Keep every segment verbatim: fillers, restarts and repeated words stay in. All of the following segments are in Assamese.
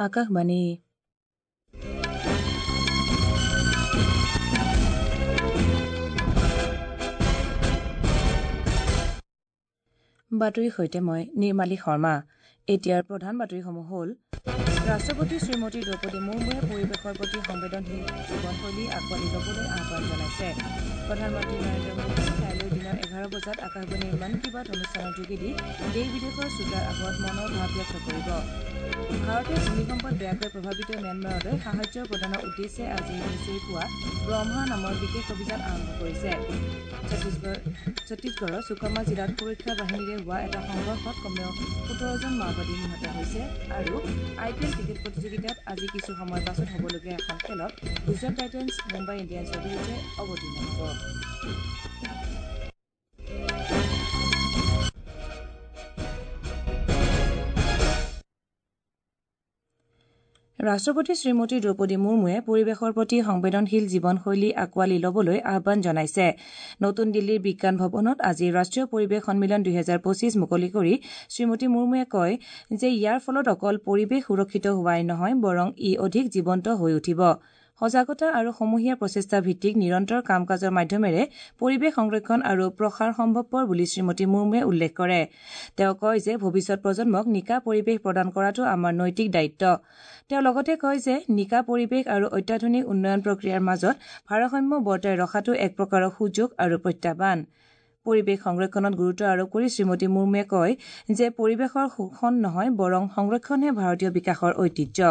আকাশবাণী। বাতৰিৰ সৈতে মই নিৰ্মালী শৰ্মা। এতিয়াৰ প্ৰধান বাতৰিসমূহ হ'ল: ৰাষ্ট্ৰপতি শ্ৰীমতী দ্ৰৌপদী মুৰ্মুৱে পৰিৱেশৰ প্ৰতি সংবেদনশীল জীৱনশৈলী আঁকোৱালি ল'বলৈ আহ্বান জনাইছে। প্ৰধানমন্ত্ৰী নৰেন্দ্ৰ মোদীয়ে কাইলৈ দিনৰ এঘাৰ বজাত আকাশবাণীৰ মন কী বাত অনুষ্ঠানৰ যোগেদি দেশ বিদেশৰ শ্ৰোতাৰ আগত মনৰ ভাৱ ব্যক্ত কৰিব। ভাৰতে ভূমিকম্পত বেয়াকৈ প্ৰভাৱিত ম্যানমাৰলৈ সাহায্য প্ৰদানৰ উদ্দেশ্যে আজি নিচেই পুৱা ব্ৰহ্মা নামৰ বিশেষ অভিযান আৰম্ভ কৰিছে। ছত্তীশগড়ৰ সুকমা জিলাত সুৰক্ষা বাহিনীৰে হোৱা এটা সংঘৰ্ষত কমেও সোতৰজন মাওবাদী নিহত হৈছে। আৰু আই পি এল ক্ৰিকেট প্ৰতিযোগিতাত আজি কিছু সময়ৰ পাছত হ'বলগীয়া এখন খেলত গুজৰাট টাইটেন্স মুম্বাই ইণ্ডিয়ানছৰ বিৰুদ্ধে অৱতীৰ্ণ হ'ব। ৰাষ্ট্ৰপতি শ্ৰীমতী দ্ৰৌপদী মুৰ্মুৱে পৰিৱেশৰ প্ৰতি সংবেদনশীল জীৱনশৈলী আঁকোৱালি ল'বলৈ আহ্বান জনাইছে। নতুন দিল্লীৰ বিজ্ঞান ভৱনত আজি ৰাষ্ট্ৰীয় পৰিৱেশ সন্মিলন দুহেজাৰ পঁচিছ মুকলি কৰি শ্ৰীমতী মুৰ্মুৱে কয় যে ইয়াৰ ফলত অকল পৰিৱেশ সুৰক্ষিত হোৱাই নহয়, বৰং ই অধিক জীৱন্ত হৈ উঠিব। সজাগতা আৰু সমূহীয়া প্ৰচেষ্টা ভিত্তিক নিৰন্তৰ কাম কাজৰ মাধ্যমেৰে পৰিৱেশ সংৰক্ষণ আৰু প্ৰসাৰ সম্ভৱপৰ বুলি শ্ৰীমতী মুৰ্মুৱে উল্লেখ কৰে। তেওঁ কয় যে ভৱিষ্যত প্ৰজন্মক নিকা পৰিৱেশ প্ৰদান কৰাটো আমাৰ নৈতিক দায়িত্ব। তেওঁ লগতে কয় যে নিকা পৰিৱেশ আৰু অত্যাধুনিক উন্নয়ন প্ৰক্ৰিয়াৰ মাজত ভাৰসাম্য বৰ্তাই ৰখাটো এক প্ৰকাৰৰ সুযোগ আৰু প্ৰত্যাহ্বান। পৰিৱেশ সংৰক্ষণত গুৰুত্ব আৰোপ কৰি শ্ৰীমতী মুৰ্মুৱে কয় যে পৰিৱেশৰ শোষণ নহয়, বৰং সংৰক্ষণহে ভাৰতীয় বিকাশৰ ঐতিহ্য।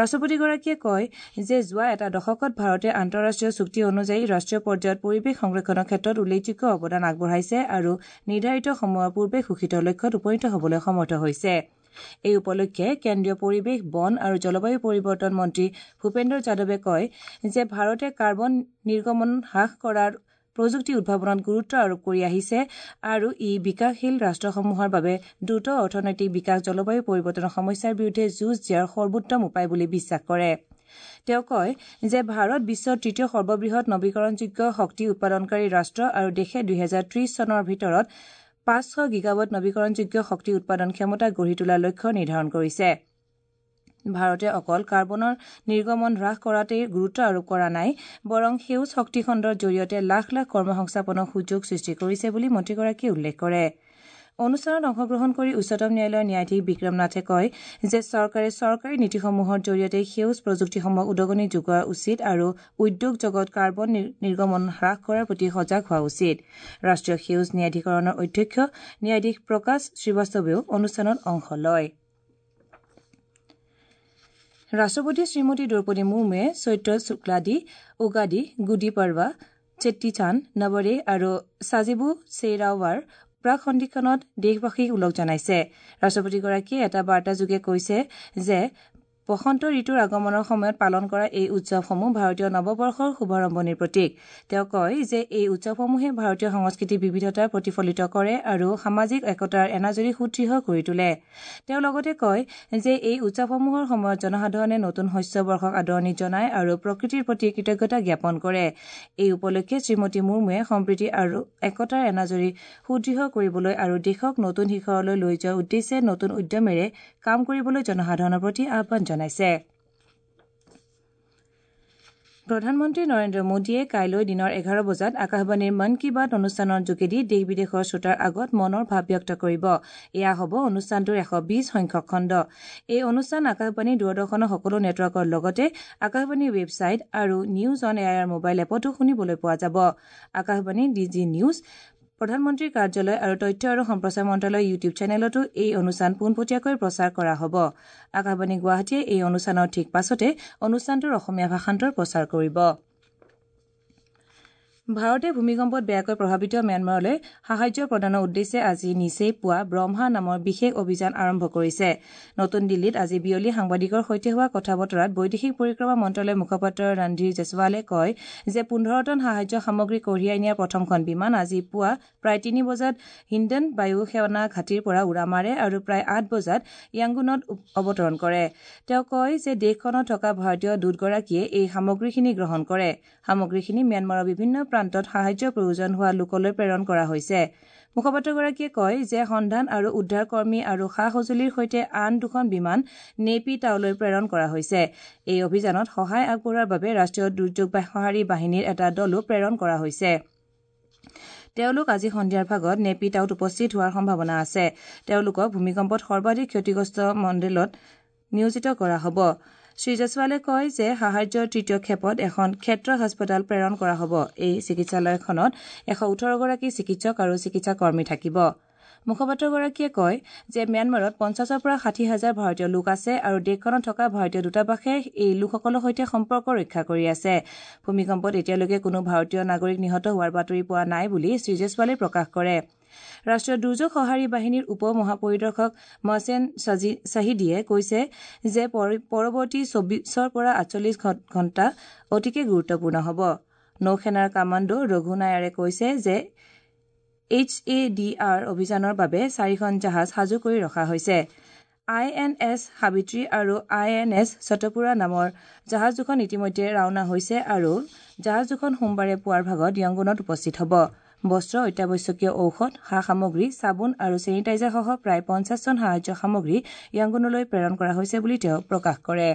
ৰাষ্ট্ৰপতিগৰাকীয়ে কয় যে যোৱা এটা দশকত ভাৰতে আন্তঃৰাষ্ট্ৰীয় চুক্তি অনুযায়ী ৰাষ্ট্ৰীয় পৰ্যায়ত পৰিৱেশ সংৰক্ষণৰ ক্ষেত্ৰত উল্লেখযোগ্য অৱদান আগবঢ়াইছে আৰু নিৰ্ধাৰিত সময়ৰ পূৰ্বে ঘোষিত লক্ষ্যত উপনীত হ'বলৈ সমৰ্থ হৈছে। এই উপলক্ষে কেন্দ্ৰীয় পৰিৱেশ, বন আৰু জলবায়ু পৰিৱৰ্তন মন্ত্ৰী ভূপেন্দ্ৰ যাদৱে কয় যে ভাৰতে কাৰ্বন নিৰ্গমন হ্ৰাস কৰাৰ প্ৰযুক্তি উদ্ভাৱনত গুৰুত্ব আৰোপ কৰি আহিছে আৰু ই বিকাশশীল ৰাষ্ট্ৰসমূহৰ বাবে দ্ৰুত অৰ্থনৈতিক বিকাশ জলবায়ু পৰিৱৰ্তনৰ সমস্যাৰ বিৰুদ্ধে যুঁজ দিয়াৰ সৰ্বোত্তম উপায় বুলি বিশ্বাস কৰে। তেওঁ কয় যে ভাৰত বিশ্বৰ তৃতীয় সৰ্ববৃহৎ নৱীকৰণযোগ্য শক্তি উৎপাদনকাৰী ৰাষ্ট্ৰ আৰু দেশে দুহেজাৰ ত্ৰিশ চনৰ ভিতৰত পাঁচশ গিগাৱাট নৱীকৰণযোগ্য শক্তি উৎপাদন ক্ষমতা গঢ়ি তোলাৰ লক্ষ্য নিৰ্ধাৰণ কৰিছে। ভাৰতে অকল কাৰ্বনৰ নিৰ্গমন হ্ৰাস কৰাতেই গুৰুত্ব আৰোপ কৰা নাই, বৰং সেউজ শক্তি খণ্ডৰ জৰিয়তে লাখ লাখ কৰ্মসংস্থাপনৰ সুযোগ সৃষ্টি কৰিছে বুলি মন্ত্ৰীগৰাকীয়ে উল্লেখ কৰে। অনুষ্ঠানত অংশগ্ৰহণ কৰি উচ্চতম ন্যায়ালয়ৰ ন্যায়াধীশ বিক্ৰম নাথে কয় যে চৰকাৰে চৰকাৰী নীতিসমূহৰ জৰিয়তে সেউজ প্ৰযুক্তিসমূহক উদগনি যোগোৱা উচিত আৰু উদ্যোগ জগত কাৰ্বন নিৰ্গমন হ্ৰাস কৰাৰ প্ৰতি সজাগ হোৱা উচিত। ৰাষ্ট্ৰীয় সেউজ ন্যায়াধিকৰণৰ অধ্যক্ষ ন্যায়াধীশ প্ৰকাশ শ্ৰীবাস্তৱেও অনুষ্ঠানত অংশ লয়। ৰাষ্ট্ৰপতি শ্ৰীমতী দ্ৰৌপদী মুৰ্মুৱে চৈত্ৰ শুক্লাদি, উগাদি, গুডি পৰ্বা, চেট্টিচান্দ, নৱৰেহ আৰু সাজিবু চেইৰাওৱাৰ প্ৰাক সন্ধিক্ষণত দেশবাসীক ওলগ জনাইছে। ৰাষ্ট্ৰপতিগৰাকীয়ে এটা বাৰ্তাযোগে কৈছে যে বসন্ত ঋতুৰ আগমনৰ সময়ত পালন কৰা এই উৎসৱসমূহ ভাৰতীয় নৱবৰ্ষৰ শুভাৰম্ভণিৰ প্ৰতীক। তেওঁ কয় যে এই উৎসৱসমূহে ভাৰতীয় সংস্কৃতিৰ বিবিধতা প্ৰতিফলিত কৰে আৰু সামাজিক একতাৰ এনাজৰী সুদৃঢ় কৰি তোলে। তেওঁ লগতে কয় যে এই উৎসৱসমূহৰ সময়ত জনসাধাৰণে নতুন শস্য বৰ্ষক আদৰণি জনায় আৰু প্ৰকৃতিৰ প্ৰতি কৃতজ্ঞতা জ্ঞাপন কৰে। এই উপলক্ষে শ্ৰীমতী মুৰ্মুৱে সম্প্ৰীতি আৰু একতাৰ এনাজৰী সুদৃঢ় কৰিবলৈ আৰু দেশক নতুন শিখৰলৈ লৈ যোৱাৰ উদ্দেশ্যে নতুন উদ্যমেৰে কাম কৰিবলৈ জনসাধাৰণৰ প্ৰতি আহ্বান জনাইছে। প্ৰধানমন্ত্ৰী নৰেন্দ্ৰ মোদীয়ে কাইলৈ দিনৰ এঘাৰ বজাত আকাশবাণীৰ মন কী বাত অনুষ্ঠানৰ যোগেদি দেশ বিদেশৰ শ্ৰোতাৰ আগত মনৰ ভাৱ ব্যক্ত কৰিব। এয়া হ'ব অনুষ্ঠানটোৰ এশ বিশ সংখ্যক খণ্ড। এই অনুষ্ঠান আকাশবাণী, দূৰদৰ্শনৰ সকলো নেটৱৰ্কৰ লগতে আকাশবাণীৰ ৱেবছাইট আৰু news on A I R mobile এপতো শুনিবলৈ পোৱা যাব। আকাশবাণী, ডি জি নিউজ, প্ৰধানমন্ত্ৰীৰ কাৰ্যালয় আৰু তথ্য আৰু সম্প্ৰচাৰ মন্ত্ৰালয়ৰ ইউটিউব চেনেলতো এই অনুষ্ঠান পোনপটীয়াকৈ প্ৰচাৰ কৰা হ'ব। আকাশবাণী গুৱাহাটীয়ে এই অনুষ্ঠানৰ ঠিক পাছতে অনুষ্ঠানটোৰ অসমীয়া ভাষান্তৰ প্ৰচাৰ কৰিব। ভাৰতে ভূমিকম্পত বেয়াকৈ প্ৰভাৱিত ম্যানমাৰলৈ সাহায্য প্ৰদানৰ উদ্দেশ্যে আজি নিচেই পুৱা ব্ৰহ্মা নামৰ বিশেষ অভিযান আৰম্ভ কৰিছে। নতুন দিল্লীত আজি বিয়লি সাংবাদিকৰ সৈতে হোৱা কথা বতৰাত বৈদেশিক পৰিক্ৰমা মন্ত্ৰালয়ৰ মুখপাত্ৰ ৰণধীৰ জয়ছৱালে কয় যে পোন্ধৰ টন সাহায্য সামগ্ৰী কঢ়িয়াই নিয়া প্ৰথমখন বিমান আজি পুৱা প্ৰায় তিনি বজাত হিণ্ডন বায়ু সেনা ঘাটিৰ পৰা উৰা মাৰে আৰু প্ৰায় আঠ বজাত য়াংগুনত অৱতৰণ কৰে। তেওঁ কয় যে দেশখনত থকা ভাৰতীয় দূতগৰাকীয়ে এই সামগ্ৰীখিনি গ্ৰহণ কৰে। সামগ্ৰীখিনি ম্যানমাৰৰ বিভিন্ন প্ৰান্তত সাহায্যৰ প্ৰয়োজন হোৱা লোকলৈ প্ৰেৰণ কৰা হৈছে। মুখপাত্ৰগৰাকীয়ে কয় যে সন্ধান আৰু উদ্ধাৰ কৰ্মী আৰু সা সঁজুলিৰ সৈতে আন দুখন বিমান নেপি টাওলৈ প্ৰেৰণ কৰা হৈছে। এই অভিযানত সহায় আগবঢ়োৱাৰ বাবে ৰাষ্ট্ৰীয় দুৰ্যোগ সঁহাৰি বাহিনীৰ এটা দলো প্ৰেৰণ কৰা হৈছে। তেওঁলোক আজি সন্ধিয়াৰ ভাগত নেপি টাউত উপস্থিত হোৱাৰ সম্ভাৱনা আছে। তেওঁলোকক ভূমিকম্পত সৰ্বাধিক ক্ষতিগ্ৰস্ত মণ্ডলত নিয়োজিত কৰা হ'ব। শ্ৰীজয়ছৱালে কয় যে সাহায্যৰ তৃতীয় খেপত এখন ক্ষেত্ৰ হাস্পতাল প্ৰেৰণ কৰা হ'ব। এই চিকিৎসালয়খনত এশ ওঠৰগৰাকী চিকিৎসক আৰু চিকিৎসা কৰ্মী থাকিব। মুখপাত্ৰগৰাকীয়ে কয় যে ম্যানমাৰত পঞ্চাছৰ পৰা ষাঠি হাজাৰ ভাৰতীয় লোক আছে আৰু দেশখনত থকা ভাৰতীয় দূতাবাসে এই লোকসকলৰ সৈতে সম্পৰ্ক ৰক্ষা কৰি আছে। ভূমিকম্পত এতিয়ালৈকে কোনো ভাৰতীয় নাগৰিক নিহত হোৱাৰ বাতৰি পোৱা নাই বুলি শ্ৰীজয়ছৱালে প্ৰকাশ কৰে। ৰাষ্ট্ৰীয় দুৰ্যোগ সঁহাৰি বাহিনীৰ উপ মহাপৰিদৰ্শক মহছেন শ্বাহিদীয়ে কৈছে যে পৰৱৰ্তী চৌবিছৰ পৰা আঠচল্লিছ ঘণ্টা অতিকে গুৰুত্বপূৰ্ণ হ'ব। নৌসেনাৰ কামাণ্ডো ৰঘু নায়াৰে কৈছে যে এইচ এ ডি আৰ অভিযানৰ বাবে চাৰিখন জাহাজ সাজু কৰি ৰখা হৈছে। আই এন এছ সাবিত্ৰী আৰু আই এন এছ শতপুৰা নামৰ জাহাজ দুখন ইতিমধ্যে ৰাওনা হৈছে আৰু জাহাজ দুখন সোমবাৰে পুৱাৰ ভাগত য়ংগুনত উপস্থিত হ'ব। বস্ত্ৰ, অত্যাৱশ্যকীয় ঔষধ, সা সামগ্ৰী, চাবোন আৰু ছেনিটাইজাৰসহ প্ৰায় পঞ্চাছ টন সাহায্য সামগ্ৰী য়ংগুনলৈ প্ৰেৰণ কৰা হৈছে বুলি তেওঁ প্ৰকাশ কৰে।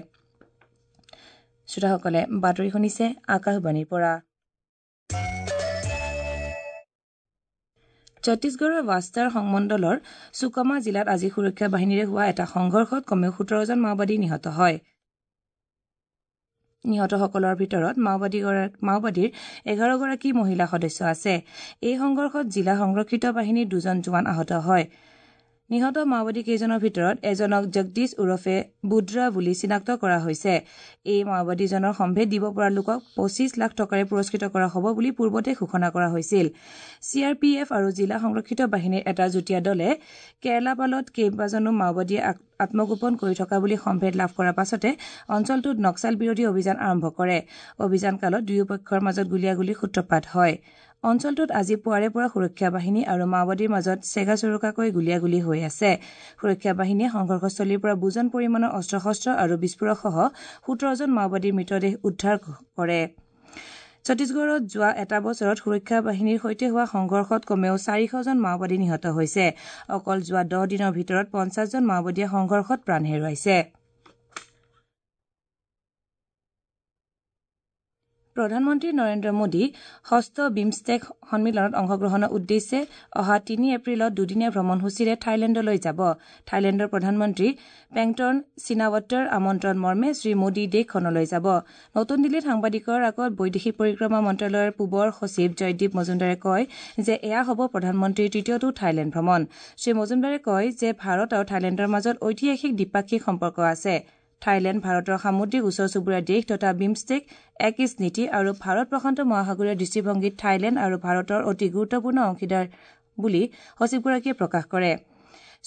শ্ৰোতাসকলে বাতৰি শুনিছে আকাশবাণীৰ পৰা। ছত্তীশগড়ৰ বাষ্টাৰ সংমণ্ডলৰ সুকমা জিলাত আজি সুৰক্ষা বাহিনীৰে হোৱা এটা সংঘৰ্ষত কমেও সোতৰজন মাওবাদী নিহত হয়। নিহতসকলৰ ভিতৰত মাওবাদীৰ এঘাৰগৰাকী মহিলা সদস্য আছে। এই সংঘৰ্ষত জিলা সংৰক্ষিত বাহিনীৰ দুজন জোৱান আহত হয়। নিহত মাওবাদী কেইজনৰ ভিতৰত এজনক জগদীশ ওৰফে বুদ্ৰা বুলি চিনাক্ত কৰা হৈছে। এই মাওবাদীজনৰ সম্ভেদ দিব পৰা লোকক পঁচিছ লাখ টকাৰে পুৰস্কৃত কৰা হ'ব বুলি পূৰ্বতে ঘোষণা কৰা হৈছিল। চি আৰ পি এফ আৰু জিলা সংৰক্ষিত বাহিনীৰ এটা যুটীয়া দলে কেৰালাপালত কেইবাজনো মাওবাদীয়ে আত্মগোপন কৰি থকা বুলি সম্ভেদ লাভ কৰাৰ পাছতে অঞ্চলটোত নক্সাল বিৰোধী অভিযান আৰম্ভ কৰে। অভিযানকালত দুয়োপক্ষৰ মাজত গুলীয়াগুলীৰ সূত্ৰপাত হয়। অঞ্চলটোত আজি পুৱাৰে পৰা সুৰক্ষা বাহিনী আৰু মাওবাদীৰ মাজত চেগা-চোৰোকাকৈ গুলীয়াগুলী হৈ আছে। সুৰক্ষা বাহিনীয়ে সংঘৰ্ষস্থলীৰ পৰা বুজন পৰিমাণৰ অস্ত্ৰ-শস্ত্ৰ আৰু বিস্ফোৰকসহ সোতৰজন মাওবাদীৰ মৃতদেহ উদ্ধাৰ কৰে। ছত্তীশগড়ত যোৱা এটা বছৰত সুৰক্ষা বাহিনীৰ সৈতে হোৱা সংঘৰ্ষত কমেও চাৰিশজন মাওবাদী নিহত হৈছে। অকল যোৱা দহ দিনৰ ভিতৰত পঞ্চাছজন মাওবাদীয়ে সংঘৰ্ষত প্ৰাণ হেৰুৱাইছে। প্ৰধানমন্ত্ৰী নৰেন্দ্ৰ মোদী ষষ্ঠ বিমষ্টেক সন্মিলনত অংশগ্ৰহণৰ উদ্দেশ্যে অহা তিনি এপ্ৰিলত দুদিনীয়া ভ্ৰমণসূচীৰে থাইলেণ্ডলৈ যাব। থাইলেণ্ডৰ প্ৰধানমন্ত্ৰী পেংটন চিনাৱাট্টাৰ আমন্ত্ৰণ মৰ্মে শ্ৰীমোদী দেশখনলৈ যাব। নতুন দিল্লীত সাংবাদিকৰ আগত বৈদেশিক পৰিক্ৰমা মন্ত্ৰালয়ৰ পূবৰ সচিব জয়দীপ মজুমদাৰে কয় যে এয়া হ'ব প্ৰধানমন্ত্ৰীৰ তৃতীয়টো থাইলেণ্ড ভ্ৰমণ। শ্ৰীমজুমদাৰে কয় যে ভাৰত আৰু থাইলেণ্ডৰ মাজত ঐতিহাসিক দ্বিপাক্ষিক সম্পৰ্ক আছে। থাইলেণ্ড ভাৰতৰ সামুদ্ৰিক ওচৰ চুবুৰীয়া দেশ তথা বিমষ্টেক এক ইষ্ট নীতি আৰু ভাৰত প্ৰশান্ত মহাসাগৰীয় দৃষ্টিভংগীত থাইলেণ্ড আৰু ভাৰতৰ অতি গুৰুত্বপূৰ্ণ অংশীদাৰ বুলি সচিবগৰাকীয়ে প্ৰকাশ কৰে।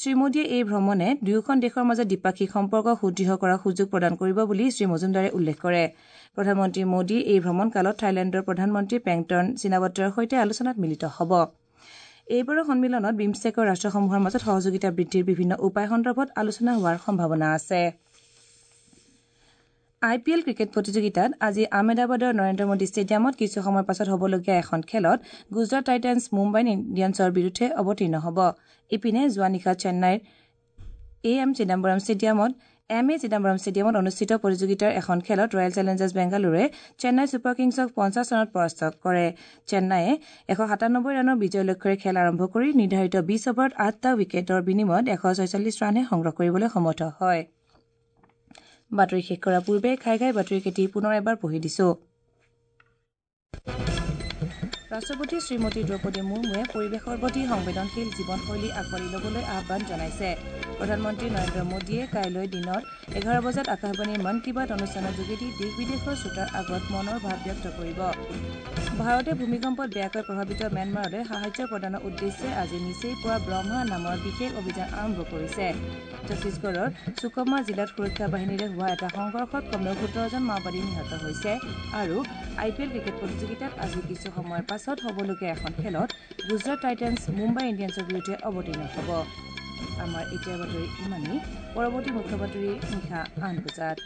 শ্ৰীমোদীয়ে এই ভ্ৰমণে দুয়োখন দেশৰ মাজত দ্বিপাক্ষিক সম্পৰ্ক সুদৃঢ় কৰাৰ সুযোগ প্ৰদান কৰিব বুলি শ্ৰীমজুমদাৰে উল্লেখ কৰে। প্ৰধানমন্ত্ৰী মোদী এই ভ্ৰমণকালত থাইলেণ্ডৰ প্ৰধানমন্ত্ৰী পেংটন চিনাৱাট্টাৰ সৈতে আলোচনাত মিলিত হ'ব। এইবাৰৰ সন্মিলনত বিমষ্টেকৰ ৰাষ্ট্ৰসমূহৰ মাজত সহযোগিতা বৃদ্ধিৰ বিভিন্ন উপায় সন্দৰ্ভত আলোচনা হোৱাৰ সম্ভাৱনা আছে। আই পি এল ক্ৰিকেট প্ৰতিযোগিতাত আজি আহমেদাবাদৰ নৰেন্দ্ৰ মোদী ষ্টেডিয়ামত কিছু সময়ৰ পাছত হ'বলগীয়া এখন খেলত গুজৰাট টাইটানছ মুম্বাই ইণ্ডিয়ানছৰ বিৰুদ্ধে অৱতীৰ্ণ হ'ব। ইপিনে যোৱা নিশা চেন্নাইৰ এ এম চিদাম্বৰম ষ্টেডিয়ামত এম এ চিদাম্বৰম ষ্টেডিয়ামত অনুষ্ঠিত প্ৰতিযোগিতাৰ এখন খেলত ৰয়েল চেলেঞ্জাৰ্ছ বেংগালুৰুৱে চেন্নাই ছুপাৰ কিংছক পঞ্চাছ ৰানত পৰাস্ত কৰে। চেন্নাইয়ে এশ সাতানব্বৈ ৰানৰ বিজয় লক্ষ্যৰে খেল আৰম্ভ কৰি নিৰ্ধাৰিত বিছ অভাৰত আঠটা উইকেটৰ বিনিময়ত এশ ছয়চল্লিছ ৰানহে সংগ্ৰহ কৰিবলৈ সমৰ্থ হয়। বাতৰি শেষ কৰাৰ পূৰ্বে ঘাই ঘাই বাতৰিকেইটি পুনৰ এবাৰ পঢ়ি দিছো। ৰাষ্ট্ৰপতি শ্ৰীমতী দ্ৰৌপদী মুৰ্মুৱে পৰিৱেশৰ প্ৰতি সংবেদনশীল জীৱনশৈলী আঁকোৱালি ল'বলৈ আহ্বান জনাইছে। প্ৰধানমন্ত্ৰী নৰেন্দ্ৰ মোদীয়ে কাইলৈ দিনৰ এঘাৰ বজাত আকাশবাণীৰ মন কী বাত অনুষ্ঠানৰ যোগেদি দেশ বিদেশৰ শ্ৰোতাৰ আগত মনৰ ভাৱ ব্যক্ত কৰিব। ভাৰতে ভূমিকম্পত বেয়াকৈ প্ৰভাৱিত ম্যানমাৰলৈ সাহায্য প্ৰদানৰ উদ্দেশ্যে আজি নিচেই পুৱা ব্ৰহ্মা নামৰ বিশেষ অভিযান আৰম্ভ কৰিছে। ছত্তীশগড়ৰ সুকমা জিলাত সুৰক্ষা বাহিনীৰে হোৱা এটা সংঘৰ্ষত কমেও সোতৰজন মাওবাদী নিহত হৈছে। আৰু আই পি এল ক্ৰিকেট প্ৰতিযোগিতাত আজি কিছু সময়ৰ পাছত হ'বলগীয়া এখন খেলত গুজৰাট টাইটেন্স মুম্বাই ইণ্ডিয়ানছৰ বিৰুদ্ধে অৱতীৰ্ণ হ'ব। আমাৰ এতিয়াৰ বাতৰি ইমানেই। পৰৱৰ্তী মুখ্য বাতৰি নিশা আঠ বজাত।